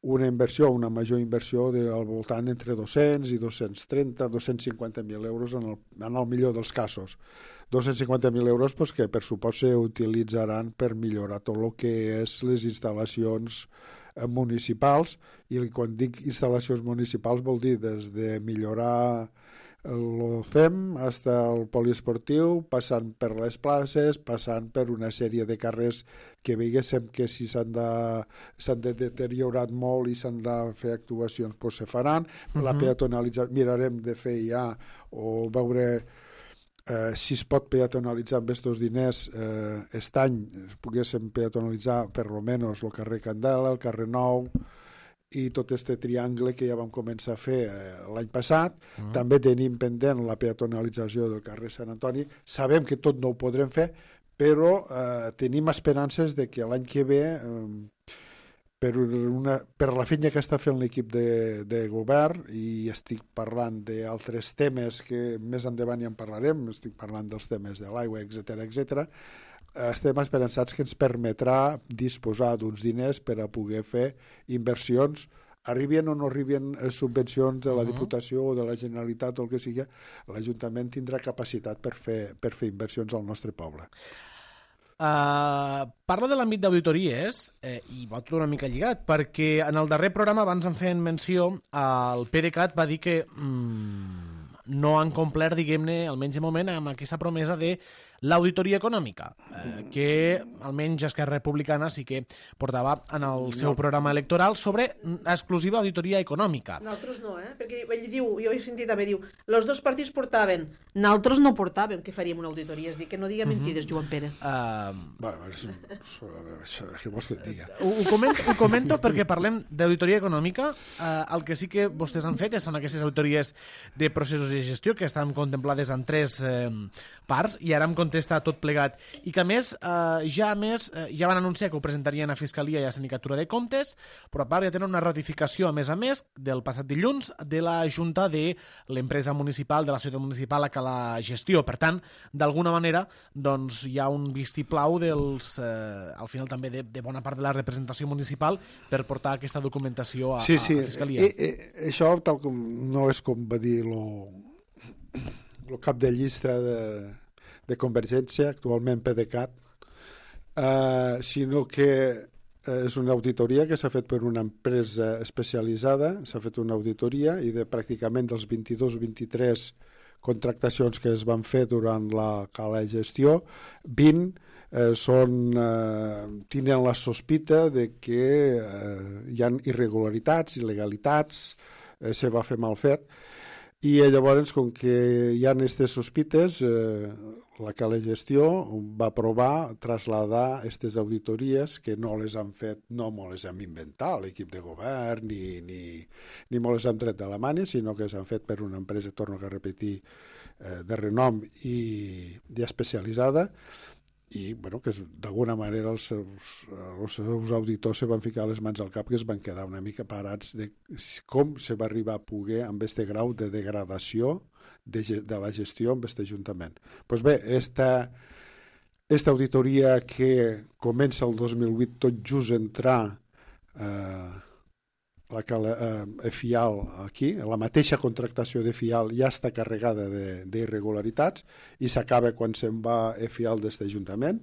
inversió, una major inversió al voltant entre 200 i 230, 250.000 euros en el millor dels casos. 250.000 euros que per supost s'utilitzaran per millorar tot el que és les instal·lacions municipals, i quan dic instal·lacions municipals vol dir des de millorar el CEM fins al poliesportiu, passant per les places, passant per una sèrie de carrers que veiéssim que si s'han deteriorat molt i s'han de fer actuacions, se faran. La peatonalització, mirarem de fer ja o veure si es pot peatonalitzar amb aquests diners aquest any, poguéssim peatonalitzar per almenys el carrer Candela, el carrer Nou i tot aquest triangle que ja vam començar a fer l'any passat. També tenim pendent la peatonalització del carrer Sant Antoni. Sabem que tot no ho podrem fer, però tenim esperances de que l'any que ve, per la feina que està fent l'equip de govern, i estic parlant d'altres temes que més endavant ja en parlarem, estic parlant dels temes de l'aigua, etc., estem esperançats que ens permetrà disposar d'uns diners per a poder fer inversions, arribin o no arribin subvencions de la Diputació o de la Generalitat o el que sigui. L'Ajuntament tindrà capacitat per fer inversions al nostre poble. Parlo de l'àmbit d'auditories i va tot una mica lligat, perquè en el darrer programa, abans en feien menció, el PDeCAT va dir que no han complert, diguem-ne, almenys de moment, amb aquesta promesa de l'auditoria econòmica, que almenys Esquerra Republicana sí que portava en el seu programa electoral sobre exclusiva auditoria econòmica. Nosaltres no, perquè ell diu, jo he sentit també, diu, els dos partits portaven, nosaltres no portàvem que faríem una auditoria, és dir, que no diga mentides, Joan Pere. Què vols que et digui? Ho comento perquè parlem d'auditoria econòmica. El que sí que vostès han fet són aquestes auditories de processos de gestió que estan contemplades en 3 parts, i ara em contesta tot plegat, i que a més ja van anunciar que ho presentarien a Fiscalia i a Sindicatura de Comptes, però a part ja tenen una ratificació a més del passat dilluns de la Junta de l'empresa municipal, de la ciutat municipal a que la gestió. Per tant, d'alguna manera, doncs hi ha un vistiplau al final també de bona part de la representació municipal per portar aquesta documentació a Fiscalia. Això tal com no és com va dir el cap de llista de Convergència, actualment PDeCAT, sinó que és una auditoria que s'ha fet per una empresa especialitzada, s'ha fet una auditoria i de pràcticament dels 22-23 contractacions que es van fer durant la gestió, 20 tenen la sospita de que hi ha irregularitats, il·legalitats, se va fer mal fet. I llavors, com que hi ha aquestes sospites, la gestió va aprovar traslladar aquestes auditories, que no les han fet, no me les hem inventat l'equip de govern, ni me les hem tret de la mània, sinó que s'han fet per una empresa, torno a repetir, de renom i especialitzada, i que d'alguna manera els seus auditors se van ficar les mans al cap, que es van quedar una mica parats de com se va arribar a poder amb aquest grau de degradació de la gestió amb aquest Ajuntament. Doncs bé, esta auditoria que comença el 2008 tot just entrar FIAL aquí, la mateixa contractació de FIAL ja està carregada d'irregularitats i s'acaba quan se'n va FIAL d'aquest Ajuntament.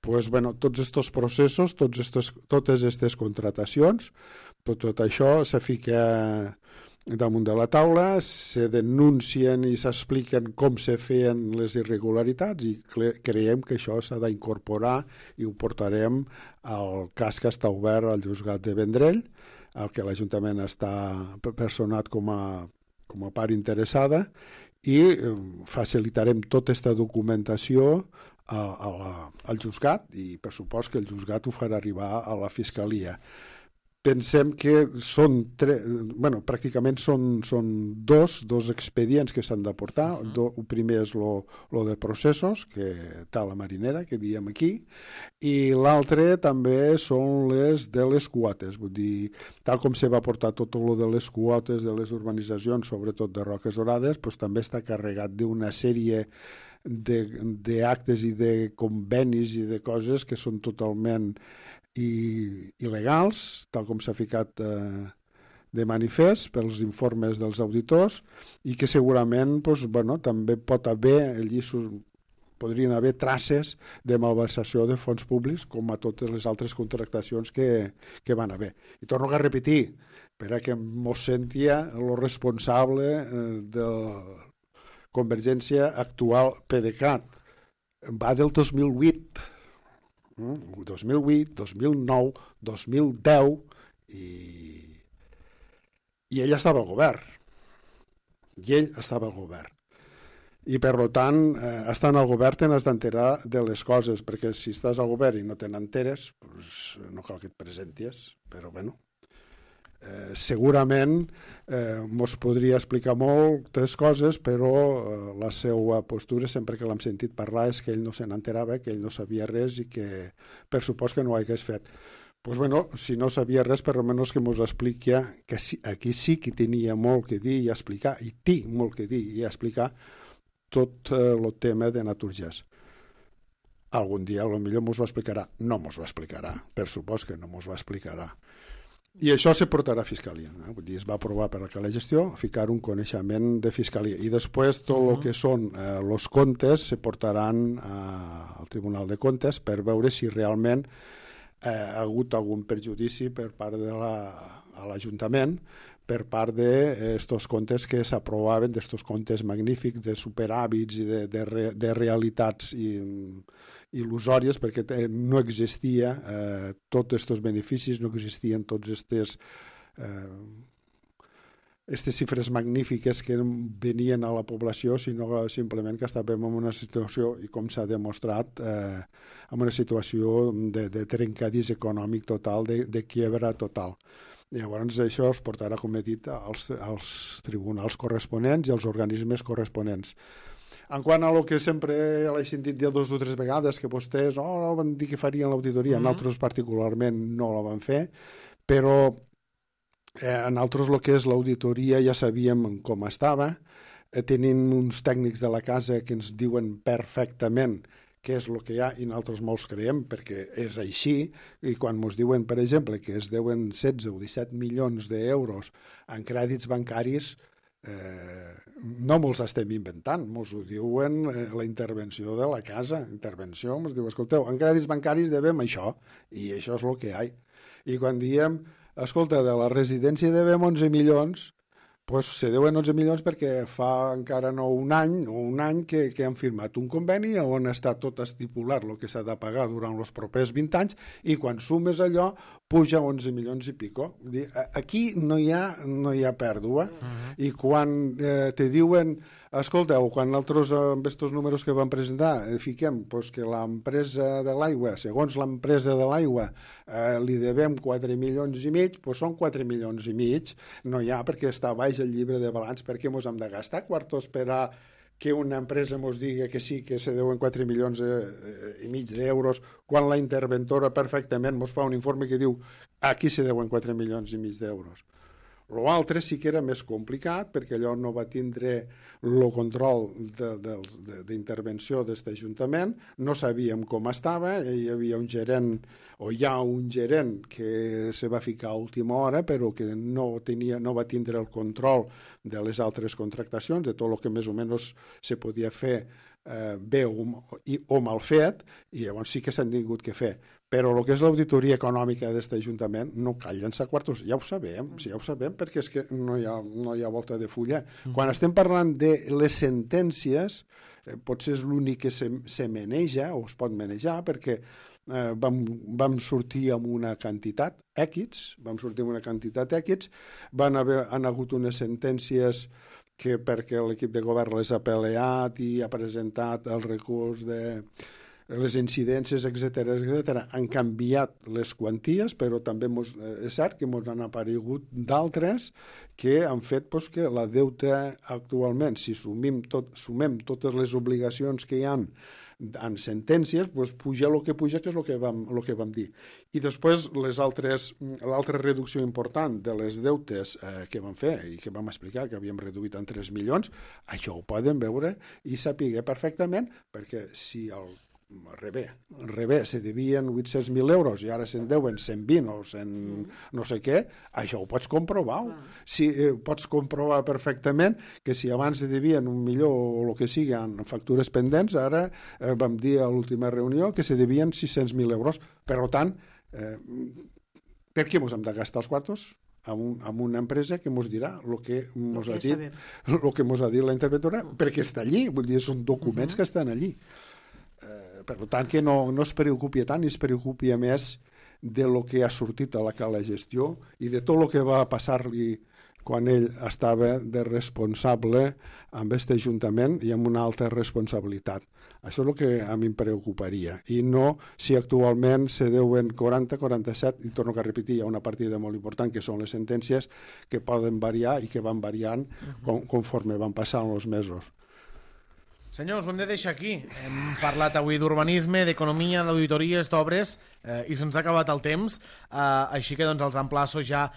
Doncs, tots aquests processos, totes aquestes contratacions, tot això se fica damunt de la taula, se denuncien i s'expliquen com se feien les irregularitats, i creiem que això s'ha d'incorporar i ho portarem al cas que està obert al Juzgat de Vendrell, al que l'Ajuntament està personat com a part interessada, i facilitarem tota aquesta documentació al Juzgat, i per supost que el Juzgat ho farà arribar a la Fiscalia. pensem que pràcticament són dos expedients que s'han d'aportar. El primer és lo de processos, que està a la marinera, que diem aquí, i l'altre també són les de les quotes. Vull dir, tal com se va portar tot lo de les quotes de les urbanitzacions, sobretot de Roques Dorades, doncs també està carregat d'una sèrie d'actes i de convenis i de coses que són totalment il·legals, tal com s'ha ficat de manifest pels informes dels auditors, i que segurament també pot haver, allí podrien haver traces de malversació de fons públics, com a totes les altres contractacions que van haver. I torno a repetir, perquè mos sentia el responsable de Convergència actual PDeCAT. Va del 2008, 2008, 2009, 2010, i ell estava al govern. I, per tant, estant al govern te n'has d'enterar de les coses, perquè si estàs al govern i no te n'enteres, doncs no cal que et presentis, però segurament mos podria explicar moltes coses, però la seva postura, sempre que l'hem sentit parlar, és que ell no se n'enterava, que ell no sabia res i que per supost que no ho hagués fet. Si no sabia res, per almenys que mos expliqui que aquí sí que tenia molt que dir i explicar, i té molt que dir i explicar tot el tema de Naturgés. Algun dia potser mos ho explicarà. No mos ho explicarà, per supost que no mos ho explicarà. I això se portarà a Fiscalia. Vull dir, es va aprovar per la gestió ficar un coneixement de Fiscalia. I després tot el que són els comptes se portaran al Tribunal de Comptes per veure si realment ha hagut algun perjudici per part de l'Ajuntament per part d'estos comptes que s'aprovaven, d'estos comptes magnífics, de superàvits i de realitats il·lusòries, perquè no existia tots aquests beneficis, no existien tots aquestes xifres magnífiques que venien a la població, sinó simplement que estàvem en una situació, i com s'ha demostrat, en una situació de trencadís econòmic total, de quiebra total. Llavors això es portarà, com he dit, als tribunals corresponents i als organismes corresponents. En quant a lo que sempre l'he sentit dir 2 o 3 vegades, que vostès van dir que farien l'auditoria, nosaltres particularment no la van fer, però nosaltres el que és l'auditoria ja sabíem com estava, tenim uns tècnics de la casa que ens diuen perfectament què és el que hi ha, i nosaltres molts creiem perquè és així, i quan ens diuen, per exemple, que es deuen 16 o 17 milions d'euros en crèdits bancaris, no mos estem inventant, mos ho diuen la intervenció de la casa, mos diu, escolteu, en crèdits bancaris devem això, i això és el que hi ha. I quan diem, escolta, de la residència devem 11 milions, doncs se deuen 11 milions perquè fa encara no un any que han firmat un conveni on està tot estipulat el que s'ha de pagar durant els propers 20 anys, i quan sumes allò puja 11 milions i pico. Aquí no hi ha pèrdua. I quan te diuen, escolteu, quan nosaltres amb aquests números que vam presentar fiquem que l'empresa de l'aigua, segons l'empresa de l'aigua, li devem 4 milions i mig, doncs són 4 milions i mig, no hi ha, perquè està baix el llibre de balanç, perquè ens hem de gastar quartos per a que una empresa ens digui que sí, que se deuen 4 milions i mig d'euros, quan la interventora perfectament ens fa un informe que diu aquí se deuen 4 milions i mig d'euros. L'altre sí que era més complicat, perquè allò no va tindre el control d'intervenció d'aquest Ajuntament, no sabíem com estava, hi havia un gerent, o hi ha un gerent que se va ficar a última hora, però que no va tindre el control de les altres contractacions, de tot el que més o menys se podia fer bé o mal fet, i llavors sí que s'han tingut que fer. Però el que és l'auditoria econòmica d'aquest Ajuntament no cal llençar quartos, ja ho sabem, perquè és que no hi ha volta de fulla. Quan estem parlant de les sentències, potser és l'únic que se maneja, o es pot manejar, perquè vam sortir amb una quantitat X, han hagut unes sentències que perquè l'equip de govern les ha peleat i ha presentat el recurs les incidències, etc han canviat les quanties, però també és cert que ens han aparegut d'altres que han fet que la deuta actualment, si sumem totes les obligacions que hi ha en sentències, puja el que puja, que és el que vam dir. I després l'altra reducció important de les deutes que vam fer i que vam explicar que havíem reduït en 3 milions, això ho poden veure i saber perfectament, perquè si al revés, se devien 800.000 euros i ara se'n deuen 120 o 100 no sé què, això ho pots comprovar. Pots comprovar perfectament que si abans se devien 1 milió o el que sigui en factures pendents, ara vam dir a l'última reunió que se devien 600.000 euros. Per tant, per què ens hem de gastar els quartos? Amb una empresa que ens dirà el que ens ha dit la interventora, perquè està allí, vull dir, són documents que estan allí. Per tant, que no es preocupi tant i es preocupi més de lo que ha sortit a la gestió i de tot el que va passar-li quan ell estava de responsable amb aquest ajuntament i amb una alta responsabilitat. Això és el que a mi em preocuparia. I no si actualment se deuen 40, 47, i torno a repetir, hi ha una partida molt important que són les sentències que poden variar i que van variant conforme van passant els mesos. Senyors, ho hem de deixar aquí. Hem parlat avui d'urbanisme, d'economia, d'auditories, d'obres, i se'ns ha acabat el temps. Així que els emplaço ja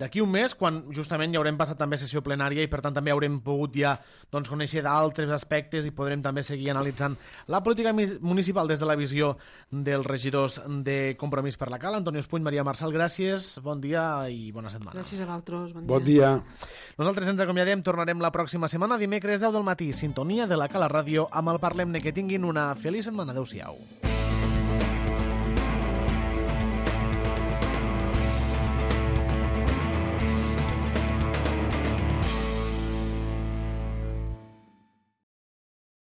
d'aquí un mes, quan justament ja haurem passat també sessió plenària i per tant també haurem pogut ja conèixer d'altres aspectes i podrem també seguir analitzant la política municipal des de la visió dels regidors de Compromís per la Cala. Antonio Espuny, Maria Marçal, gràcies, bon dia i bona setmana. Gràcies a vosaltres, bon dia. Nosaltres ens acomiadem, tornarem la pròxima setmana, dimecres 10 del matí, sintonia de la Cala Ràdio amb el Parlem-ne. Que tinguin una feliç setmana. Adéu-siau.